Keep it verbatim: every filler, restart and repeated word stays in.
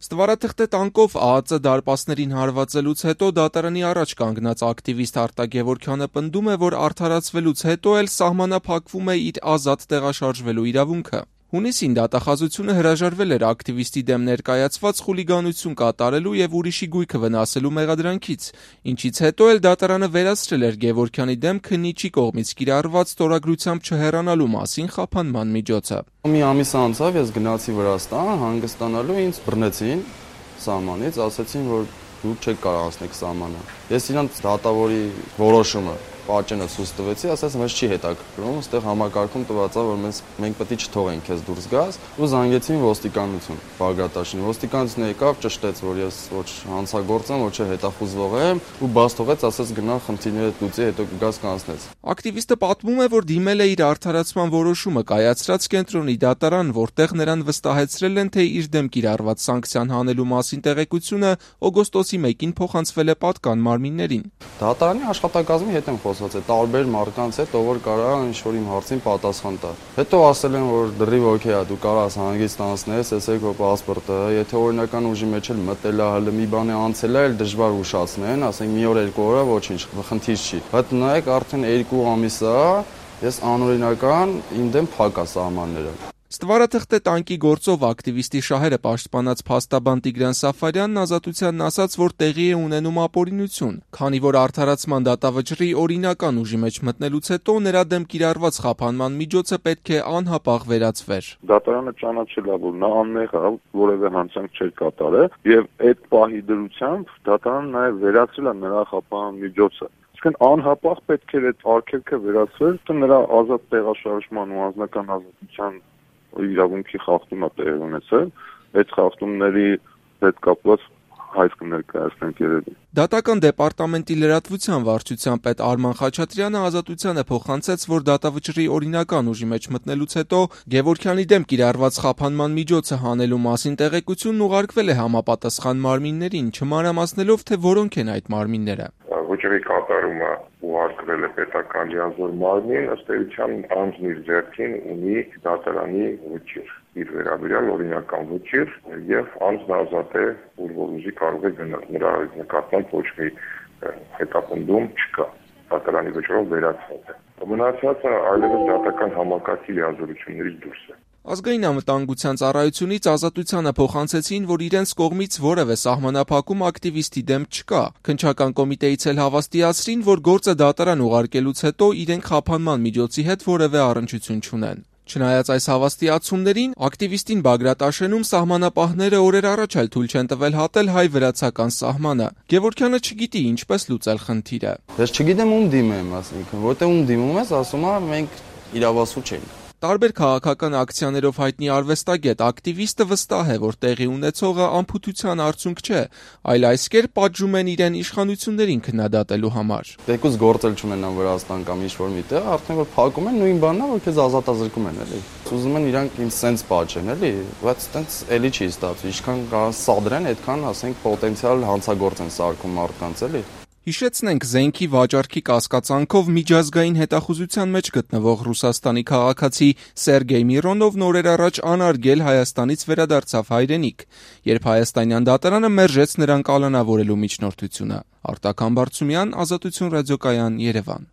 Ստվարաթղթե տանկով ԱԱԾ դարպասներին հարվածելուց հետո դատարանի առաջ կանգնած ակտիվիստ Արտակ Գևորգյանը պնդում է, որ արդարացվելուց հետո էլ սահմանափակվում է իր ազատ տեղաշարժվելու իրավունքը։ Հունիսին դատախազությունը հրաժարվել էր ակտիվիստի դեմ ներկայացված խուլիգանություն կատարելու եւ ուրիշի գույքը վնասելու մեղադրանքից, ինչից հետո էլ դատարանը վերացրել էր Գևորգյանի դեմ քննիչի կողմից կիրառված ստորագրությամբ չհեռանալու մասին խափանման միջոցը։ Մի ամիս անցավ, ես գնացի Վրաստան հանգստանալու, ինձ բռնեցին սահմանից, ասացին, որ դու չեք կարող անցնել սահմանը։ Ես իրանց դատավորի որոշումը պատճենը ցույց տվեցի, ասաց մեզ չի հետաքրքրում, այստեղ համակարգում տված է, որ մենք մենք պետք է չթողենք քեզ դուրս գաս, ու զանգեցին ոստիկանություն, Բագրատաշին։ Ոստիկանությունը եկավ, ճշտեց, որ ես ոչ հանցագործ եմ, ոչ հետախուզվող եմ, ու բաց թողեց, ասաց գնա խնդիրներդ լուծի, հետո կգաս կանցնես։ Ակտիվիստը պատմում է, որ դիմել է իր արդարացման որոշումը կայացրած կենտրոնի դատարան, որտեղ նրան վստահեցրել են, թե իր դեմ կիրառված սանկցիան հանելու մասին տեղեկությունը օգոստոսի մեկին փոխանցվել է պատկան մարմիններին։ Դատարանի աշխատակազմի հետ եմ խոսած, է տարբեր մարդկանց հետ, ով որ կարող է ինչ-որ իմ հարցին պատասխան տալ։ Հետո ասել են, որ դրիվ օքեյ է, դու կարող ես հանգիստ անցնես, եսեք քո պասպորտը, եթե օրինական ուժի մեջ էլ մտել է, հələ մի բան է անցել է, դժվար ուշացնեն, ասենք մի օր երկու օր է, ոչինչ, խնդիր չի։ Բայց նայեք, արդեն երկու ամիս է, ես անօրինական իմ դեմ փակ է սահմանները։ Ստվարաթղթե տանկի գործով ակտիվիստի շահերը պաշտպանած փաստաբան Տիգրան Սաֆարյանն Ազատությանն ասաց, որ տեղի է ունենում ապօրինություն, քանի որ արդարացման դատավճռի օրինական ուժի մեջ մտնելուց հետո նրա դեմ կիրառված խափանման միջոցը պետք է անհապաղ վերացվեր։ Դատարանը ճանաչել է, որ նա անմեղ է, որևէ հանցանք չէր կատարել, եւ այդ պահի դրությամբ դատարանը նաեւ վերացրել է նրա խափանման միջոցը։ Իսկն անհապաղ պետք է այդ արգելքը վերացվել, թե նրա ազատ տեղաշարժման ու անձնական ազատության իրավունքի խախտում է տեղի ունեցել, այդ խախտումների հետ կապված հայտ կներկայացնենք երևի։ Դատական դեպարտամենտի լրատվության վարչության պետ Արման Խաչատրյանը Ազատությանը փոխանցեց, որ դատավճռի օրինական ուժի մեջ մտնելուց հետո Գևորգյանի դեմ կիրառված խափանման միջոցը հանելու մասին տեղեկությունն ուղարկվել է համապատասխան մարմիններին, չմանրամասնելով, թե որոնք են այդ մարմինները։ Վճռի կատարումը ուղարկվել է պետական լիազոր մարմին, ըստ էության անձն իր ձեռքին ունի դատարանի վճիռ, իր վերաբերյալ օրինական վճիռ, եւ անձն ազատ է, որ ուզի կարող է գնալ, նրա նկատմամբ ոչ մի հետապնդում չկա, դատարանի վճռով վերացված է։ Մնացածը այլևս դատական համակարգի լիազորություններից դուրս է։ Ազգային անվտանգության ծառայությունից Ազատությանը փոխանցեցին, որ իրենց կողմից որևէ սահմանափակում ակտիվիստի դեմ չկա։ Քննչական կոմիտեից էլ հավաստիացրին, որ գործը դատարան ուղարկելուց հետո իրենք խափանման միջոցի հետ որևէ առնչություն չունեն։ Չնայած այս հավաստիացումներին, ակտիվիստին Բագրատաշենում սահմանապահները օրեր առաջ էլ թույլ չեն տվել հատել հայ-վրացական սահմանը։ Գևորգյանը չգիտի ինչպես լուծել խնդիրը։ Ես չգիտեմ ում դիմեմ, ասենք, որտեղ ում դիմում ես, ասում է մենք իրավասու չենք։ Տարբեր քաղաքական ակցիաներով հայտնի արվեստագետ ակտիվիստը վստահ է, որ տեղի ունեցողը անփութության արդյունք չէ, այլ այս կերպ պատժում են իրեն իշխանություններին քննադատելու համար։ Թեկուզ գործել չունենան Վրաստան կամ ինչ-որ միտեղ, արդեն որ փակում են նույն բանն է, որ քեզ ազատազրկում են, էլի։ Ուզում են իրանք ինձ սենց պատժեն, էլի, բայց այտենց էլի չի ստացվում։ Ինչքան սադրեն, այդքան, ասենք, պոտենցիալ հանցագործ են սարքում մարդկանց, էլի։ Հիշեցնենք, զենքի վաճառքի կասկածանքով միջազգային հետախուզության մեջ գտնվող Ռուսաստանի քաղաքացի Սերգեյ Միրոնովն օրեր առաջ անարգել Հայաստանից վերադարձավ հայրենիք, երբ հայաստանյան դատարանը մերժեց նրան կալանավորելու միջնորդությունը։ Արտակ Համբարձումյան, Ազատություն ռադիոկայան, Երևան։